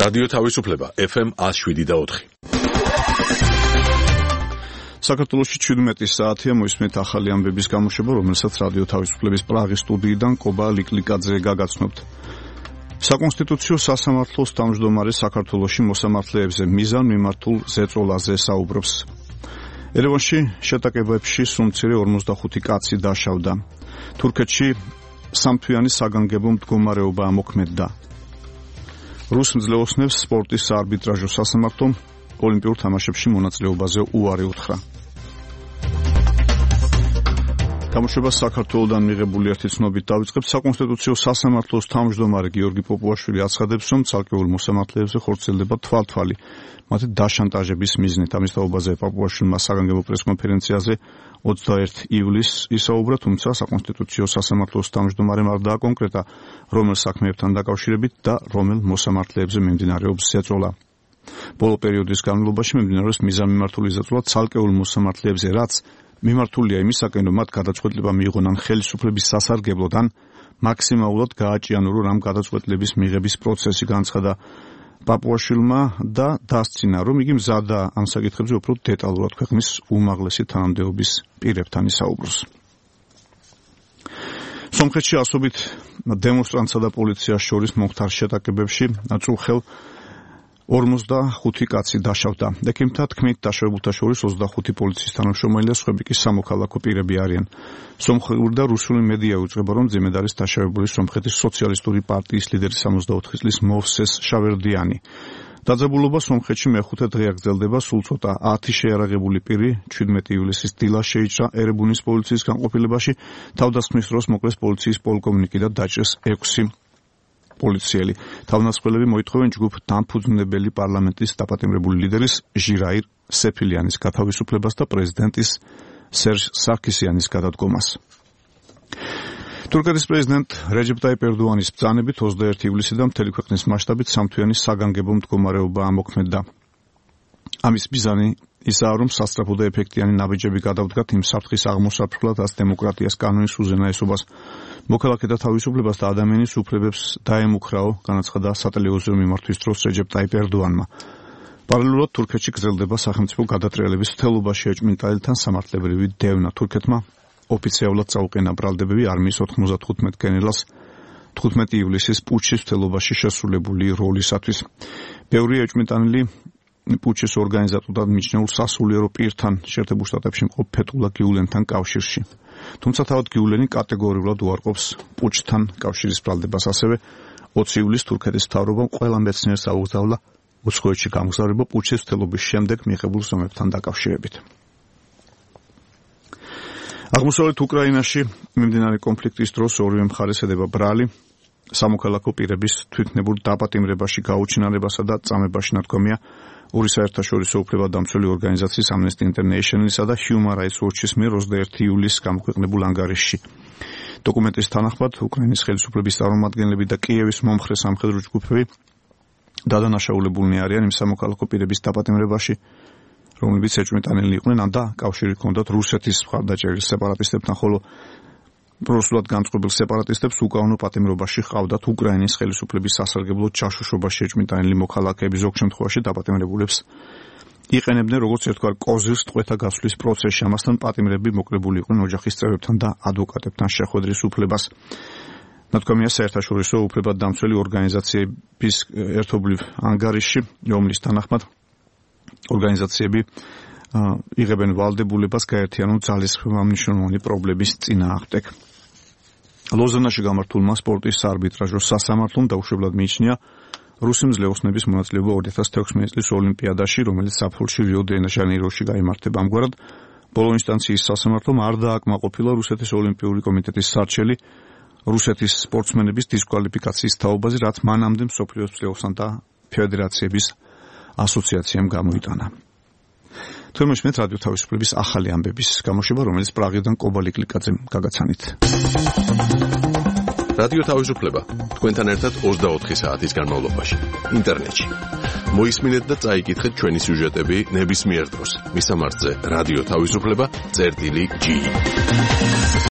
რადიო თავისუფლება FM 107.4. საქართველოში 17 საათია მოისმენთ ახალი ამბების გამოშვება, რომელსაც რადიო თავისუფლების პრაღის სტუდიიდან კობა ლიკლიკაძე გაგაცნობთ. საკონსტიტუციო სასამართლოს თავმჯდომარე საქართველოში მოსამართლეებზე მიზან მიმართულ ზეწოლაზე საუბრობს. ერევანში შეტაკებებში სუმცირე 45 კაცი დაშავდა. თურქეთში სამთვიანი საგანგებო მდგომარეობა მოქმედდა. რუს მძლეოსნებს სპორტის საარბიტრაჟო სასამართლომ ოლიმპიურ თამაშებში მონაწილეობაზე უარი უთხრა. გამოშვება საქართველოდან მიღებული ერთი ცნობით დავიწყებთ. საკონსტიტუციო სასამართლოს თავმჯდომარე გიორგი პოპუაშვილი აცხადებს, რომ ცალკეულ მოსამართლეებზე ხორციელდება თვალთვალი მათი დაშანტაჟების მიზნით. ამის თაობაზე პოპუაშვილმა საგანგებო პრესკონფერენციაზე 21 ივლისს ისაუბრა, თუმცა საკონსტიტუციო სასამართლოს თავმჯდომარემ არ დააკონკრეტა, რომელ საქმეებთან დაკავშირებით და რომელ მოსამართლეებზე მიმდინარეობს ზეწოლა. ბოლო პერიოდის განმავლობაში მიმდინარეობს მიზანმიმართული ზეწოლა ცალკეულ მოსამართლეებზე, რაც მიმართულია იმისაკენ, რომ მათ გადაწყვეტილება მიიღონ ხელისუფლების სასარგებლოდან მაქსიმალურად გააჭიანონ ამ გადაწყვეტილების მიღების პროცესი, განცხადა პაპუაშვილმა და დასცინა, რომ იგი მზადაა ამ საკითხებზე უფრო დეტალურად ქვეყნის უმაღლესი თანამდებობის პირებთან ისაუბროს. სომხეთში ასობით დემონსტრანტსა და პოლიციას შორის მომხდარ შეტაკებებში წუხელ 45 კაცი დაშავდა. ექიმთა თქმით, დაშავებულთა შორის 25 პოლიციის თანამშრომელი და სხვები კი სამოქალაქო პირები არიან. სომხური და რუსული მედია უძღვება, რომ ძიმედ არის დაშავებული სომხეთის სოციალისტური პარტიის ლიდერი 64 წლის მოვსეს შავერდიანი. დაძაბულობა სომხეთში მეხუთე დღე გრძელდება, სულ ცოტა 10 შეიარაღებული პირი 17 ივლისის დილას შეიჭრა ერებუნის პოლიციის განყოფილებაში, თავდასხმის დროს მოკლეს პოლიციის პოლკოვნიკი და დაჭრეს 6 პოლიციელი. თავდამსხმელები მოითხოვენ ჯგუფ დამფუძნებელი პარლამენტის დაპატიმრებული ლიდერის ჟირაირ სეფილიანის გათავისუფლებას და პრეზიდენტის სერჟ სარქისიანის გადადგომას. თურქეთის პრეზიდენტ რეჯეპ ტაიპ ერდოანის ბრძანებით 21 ივლისიდან მთელი ქვეყნის მასშტაბით სამთვიანი საგანგებო მდგომარეობა მოქმედდა. ამის მიზანი ისაა, რომ სასწრაფო და ეფექტიანი ნაბიჯები გადავდგათ იმ საფრთხის აღმოსაფრთხლად, რაც დემოკრატიას, კანონის უზენაესობას, მოქალაქეთა თავისუფლებას და ადამიანის უფლებებს დაემუქრაო, განაცხადა სატელევიზიო მიმართვის დროს რეჯეპ ტაიპ ერდოანმა. პარალელურად თურქეთში გრძელდება სახელმწიფო გადატრიალების მთელობაში ეჭვმიტანილთან სამართლებრივი დევნა. თურქეთმა ოფიციალურად წაუყენა ბრალდებები არმიის 95 გენერალს 15 ივლისის პუჩის მთელობაში შესრულებული როლისათვის. ბევრი ეჭვმიტანილი პუჩის ორგანიზატორად მიჩნეულ სასულიერო პირთან შეერთებულ შტატებში მყოფ ფეტულა გიულენთან კავშირში. თუმცა თავად გიულენი კატეგორიულად უარყოფს პუჩთან კავშირის ბრალდებას. ასევე 20 ივლისს თურქეთის მთავრობამ ყველა მეცნიერს აუგზავნა უცხოეთში გამგზავრება პუჩის მთელობის შემდეგ მიღებულ ზომებთან დაკავშირებით. აღმოსავლეთ უკრაინაში მიმდინარე კონფლიქტის დროს ორივე მხარეს ედება ბრალი სამოქალაქო პირების თვითნებურ დაპატიმრებაში, გაუჩინარებასა და წამებაში ნათქვამია ორი საერთაშორისო უფლებადამცველი ორგანიზაციის Amnesty International-ისა და Human Rights Watch-ის მიერ 21 ივლისს გამოქვეყნებულ ანგარიშში. დოკუმენტის თანახმად, უკრაინის ხელისუფლების წარმომადგენლები და კიევის მომხრე სამხედრო ჯგუფები დადანაშაულებულნი არიან იმ სამოქალაქო პირების დაპატიმრებაში, რომლებიც ეჭვმიტანილნი იყვნენ და კავშირი ჰქონდათ რუსეთის მხარდაჭერილ სეპარატისტებთან, ხოლო პროსულად განწყობილ სეპარატისტებს უკანონო პატიმრობაში ჰყავდათ უკრაინის ხელისუფლების სასარგებლოდ ჩაშოშობაში ეჭვმიტანილი მოქალაქეები. ზოგ შემთხვევაში დაპატიმრებულებს იყენებდნენ როგორც ერთგვარ კოზირს ტყვეთა გასვლის პროცესში. ამასთან პატიმრები მოკლებული იყვნენ ოჯახის წევრებთან და ადვოკატებთან შეხვედრის უფლებას. ნათქვამია საერთაშორისო უფლებადამცველი ორგანიზაციების ერთობლივ ანგარიშში, რომლის თანახმად ორგანიზაციები იღებენ ვალდებულებას გაერთიანონ ძალისხმევა მნიშვნელოვანი პრობლემის წინააღმდეგ. ლოზანაში გამართულმა სპორტის საარბიტრაჟო სასამართლომ დაუშვებლად მიიჩნია რუსი მძლეოსნების მონაწილეობა 2016 წლის ოლიმპიადაში, რომელიც ზაფხულში რიო-დე-ჟანეიროში გაიმართება. ამგვარად, ბოლო ინსტანციის სასამართლომ არ დააკმაყოფილა რუსეთის ოლიმპიური კომიტეტის სარჩელი რუსეთის სპორტსმენების დისკვალიფიკაციის თაობაზე, რაც მანამდე მსოფლიოს მძლეოსანთა ფედერაციების ასოციაციამ გამოიტანა. თორმეტ რადიო თავისუფლების ახალი ამბების გამოშვება, რომელიც პრაღიდან კობა ლიკლიკაძემ გაგაცანით. რადიო თავისუფლება თქვენთან ერთად 24 საათის განმავლობაში ინტერნეტში. მოისმინეთ და წაიკითხეთ ჩვენი სიუჟეტები ნებისმიერ დროს. მისამართზე რადიო თავისუფლება.gi